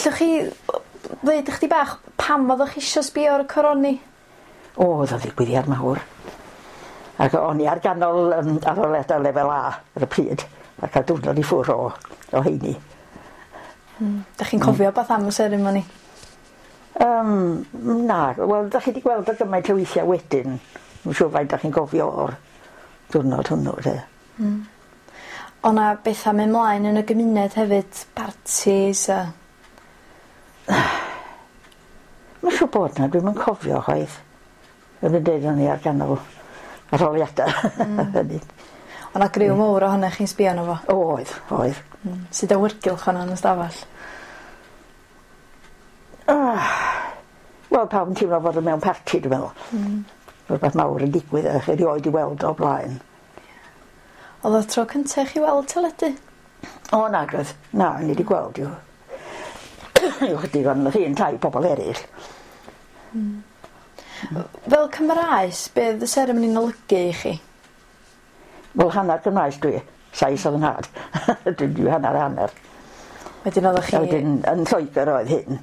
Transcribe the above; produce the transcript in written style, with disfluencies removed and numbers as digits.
Allwch chi ddeud ychydig bach pam oeddech chi isio sbio ar y coroni? O, oedd o'n ddigwyddiad mawr. Ac o'n i ar ganol arholiadau lefel A ar y pryd, a cael diwrnod i ffwrdd o heini. Dach chi'n cofio beth am y seremoni? Na, wel, dach chi wedi gweld o gymaint o weithiau wedyn. Dwi'n siŵr faint dach chi'n gofio o'r diwrnod hwnnw, de. O' 'na betha mynd mlaen yn y gymuned hefyd, partis a... Mae'n siŵr bod 'na, dwi'm yn cofio chwaith. Fel dwi'n deud, o'n i ar ganol arholiadau. Hynny. O' 'na griw mowr ohonoch chi'n sbio arno fo? Oedd, oedd. Sud awyrgylch o'na yn y stafell? Wel, pawb yn teimlo fod o mewn parti, dwi'n meddwl. Rhywbeth mawr yn digwydd a chi erioed i weld o blaen. Oedd o tro cynta i chi weld teledu? O, na, oedd. Na, o'n i wedi gweld i'w. I'w chydig ond nath un tai pobl eraill. Fel Cymraes, be oedd y seremoni'n olygu i chi? Wel, hanner Cymraes dwi. Sais oedd yn nhad. Dwi'n dwi hanner hanner. Wedyn oeddech chi... A wedyn yn Lloegr oedd hyn.